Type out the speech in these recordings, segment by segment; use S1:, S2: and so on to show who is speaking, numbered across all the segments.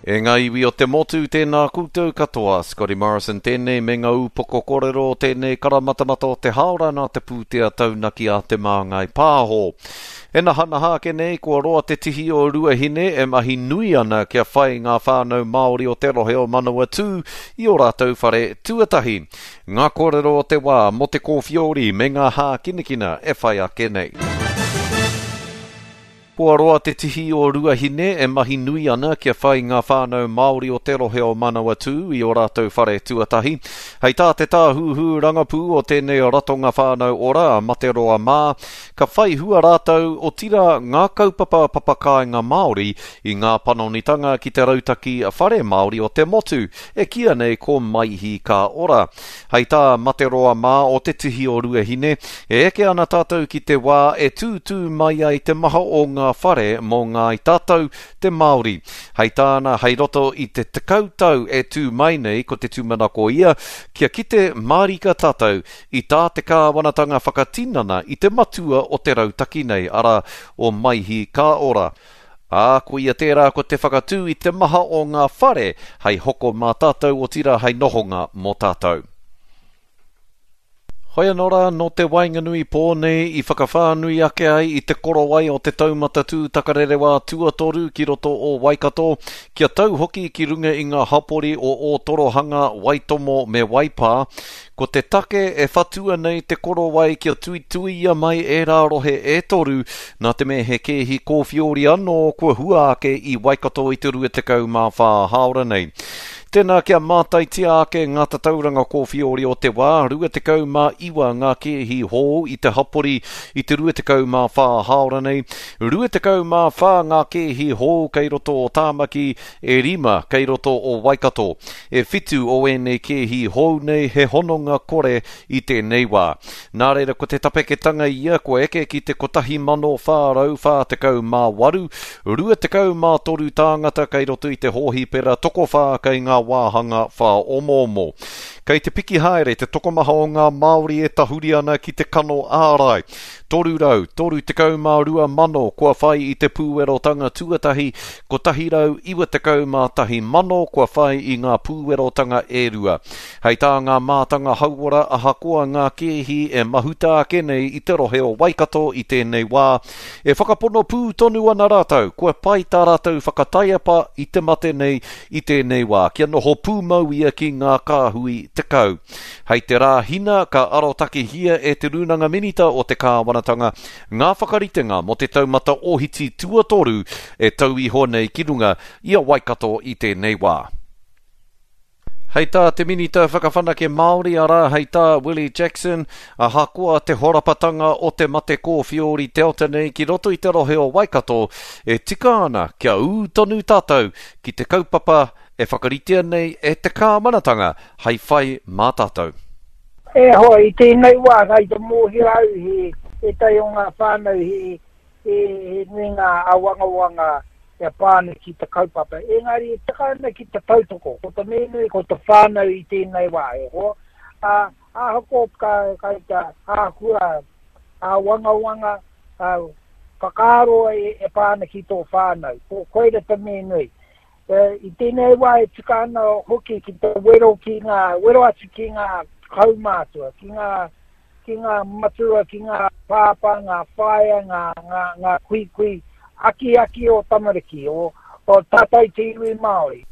S1: E ngā iwi o te motu, tēnā koutou katoa. Scotty Morrison tēnei me ngā ūpoko kōrero o tēnei karamatamata o te hāora nā te pūtea taunaki a Te Māngai Pāho. E nahanaha ake nei, kua roa te tihi o Ruahine e mahi nui ana kia whai ngā whānau Māori o te rohe o Manawatū i ō rātou whare tuatahi. Ngā kōrero o te wā mō te kōwhiori me ngā hākinakina e whai ake nei. Kua roa te tihi o Ruahine e mahi nui ana kia whai ngā whānau Māori o te rohe o Manawatū i ō rātou whare tuatahi. Hei tā te tāhuhu rangapū o tēnei ratonga whānau ora a Materoa mā, ka whai hua rātou, otirā ngā kaupapa papakāinga Māori i ngā panonitanga ki te rautaki whare Māori o te motu, e kīia nei ko Maihi Ka Ora. Hei tā Materoa mā o Te Tihi o Ruahine, e eke ana tātou ki te wā e tūtū mai ai te maha o ngā whare mō ngāi tātou, te Māori. Hei tāna, hei roto i te 10 tau e tū mai nei ko te tūmanako ia, kia kite mārika tātou i tā te kāwanatanga whakatinana i te matua o te rautaki nei, arā, o Maihi Ka Ora. Ā, koia tērā ko te whakatū i te maha o ngā whare hei hoko mā tātou otirā hei nohonga mō tātou. Hoi anō rā, nō te waenganui pō nei i whakawhānui ake ai i te korowai o te taumata tūtakarerewā tuatoru ki roto o Waikato, kia tau hoki ki runga i ngā hapori o Ōtorohanga, Waitomo me Waipā, Ko te take e whatua nei te korowai kia tuituia mai ērā rohe e toru, nā te mea he kēhi kōwhiori anō kua hua ake i Waikato i te 24 hāora nei. Tēnā kia mātaitia ake ngā tatauranga kōwhiori o te wā, 29 ngā kēhi hou i te hapori i te 24 hāora nei, 24 ngā kēhi hou kei roto o Tāmaki, E rima kei roto o Waikato. E whitu o ēnei kēhi hou nei he hononga kore i tēnei wā. Nā reira ko te tapeketanga ia kua eke ki te 1,448, 23 tāngata kei roto i te hōhipera, tokowhā kei ngā wāhanga whāomoomo. Kei te piki haere te tokomaha o ngā Māori e tahuri ana ki te kano ārai. 332 mano kua whai i te pūwerotanga tuatahi, 191 mano kua whai i ngā pūwerotanga e rua. Hei tā ngā mātanga hauora ahakoa ngā kēhi e mahuta ake nei i te rohe o Waikato i tēnei wā, e whakapono pū tonu ana rātou kua pai tā rātou whakataiapa i te mate nei i tēnei wā kia noho pūmau ia ki ngā kāhui 10. Hei te Rāhina ka arotakehia e Te Rūnanga Minita o te Kāwanatanga ngā whakaritenga mō te taumata ohiti tuatoru e tau iho nei ki runga i a Waikato i tēnei wā. Hei tā te Minita Whakawhanake Māori, arā, hei tā Willie Jackson, ahakoa te horapatanga o te mate kōwhiori Delta nei ki roto i te rohe o Waikato, e tika ana kia ū tonu tātou ki te kaupapa e whakaritea nei e te Kāwanatanga hei whai mā tātou.
S2: E hoa, i tēnei wā, kai te mōhio au he ētahi o ngā whānau he, he, he nui ngā āwangawanga e pā ana ki te kaupapa. Engari e tika ana ki te tautoko, ko te mea nui ko te whānau i tēnei wā, e hoa. Ā, ahakoa ka, kai te āhua āwangawanga, ā, whakaaro e, e pā ana ki tō whānau. Ko koira te mea nui. I tēnei wā e tika ana hoki ki te wero ki ngā, wero atu ki ngā kaumātua, ki ngā, ki ngā matua, ki ngā pāpā, ngā whaea, ngā, ngā, ngā kuikui, akiaki o tamariki, o, o tātou te iwi Māori.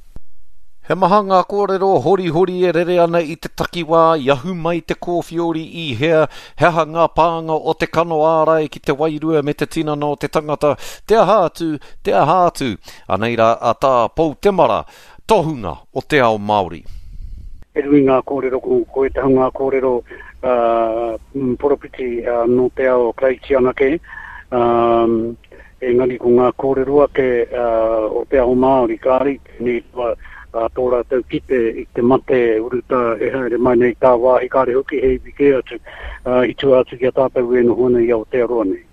S1: He maha ngā kōrero horihori e rere ana i te takiwā, i ahu mai te kōwhiori i hea, he aha ngā pānga o te kano ārai ki te wairua me te tinana o te tangata, te aha atu, te aha atu. Anei rā a Tā Pou Temara, tohunga o te ao Māori.
S3: He nui ngā kōrero, ko ētahi o ngā kōrero poropiti nō te ao Karaitiana kē, engari ko ngā kōrero ake o te ao Māori kāre i tēnei rawa tō rātou kite i te mate urutā e haere mai nei tāwāhi, kāre hoki he iwi kē atu i tua atu ki a tātou e noho ana i Aotearoa nei.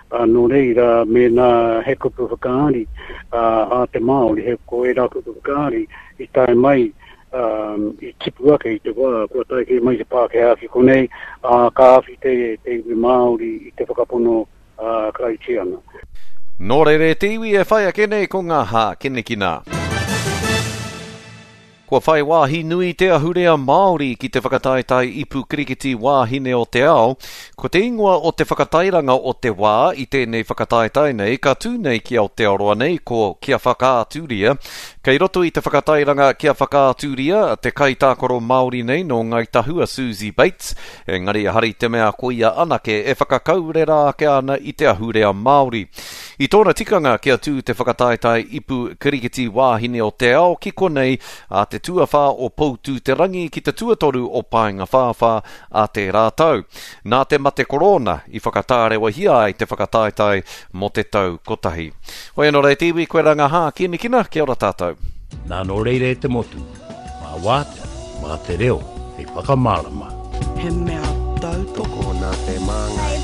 S3: Nō reira, mēnā he kupu whakaari a te Māori, he ko ērā kupu whakaari i tae mai, i tipu ake i te wā kua tae kē mai te Pākehā ki konei, ā, ka awhi te iwi Māori i te whakapono Karaitiana.
S1: Nō reira e te iwi e whai ake nei ko ngā hākinakina. Kua whai wāhi nui te ahurea Māori ki te whakataetae ipu kirikiti wāhine o te ao. Ko te ingoa o te whakatairanga o te wā i tēnei whakataetae nei ka tū nei ki Aotearoa nei ko Kia Whakaaturia. Kei roto i te whakatairanga Kia Whakaaturia te kaitākaro Māori nei nō Ngāi Tahu a Suzie Bates, engari ehara i te mea ko ia anake e whakakaurera ake ana i te ahurea Māori. I tōna tikanga kia tū te whakataetae ipu kirikiti wāhine o te ao ki konei ā te tuawhā o Poutū-te-rangi ki te tuatoru o Paengawhāwhā ā tērā tau. Nā te mate korona i whakatārewahia ai te whakataetae mō te tau kotahi. Hoi anō rā e te iwi, koe rā ngā hākinakina, kia ora tātou.
S4: Nā nō reira e te motu, mā wātea, mā te reo hei whakamārama.
S5: He mea tautoko.
S6: Tokona te māngai.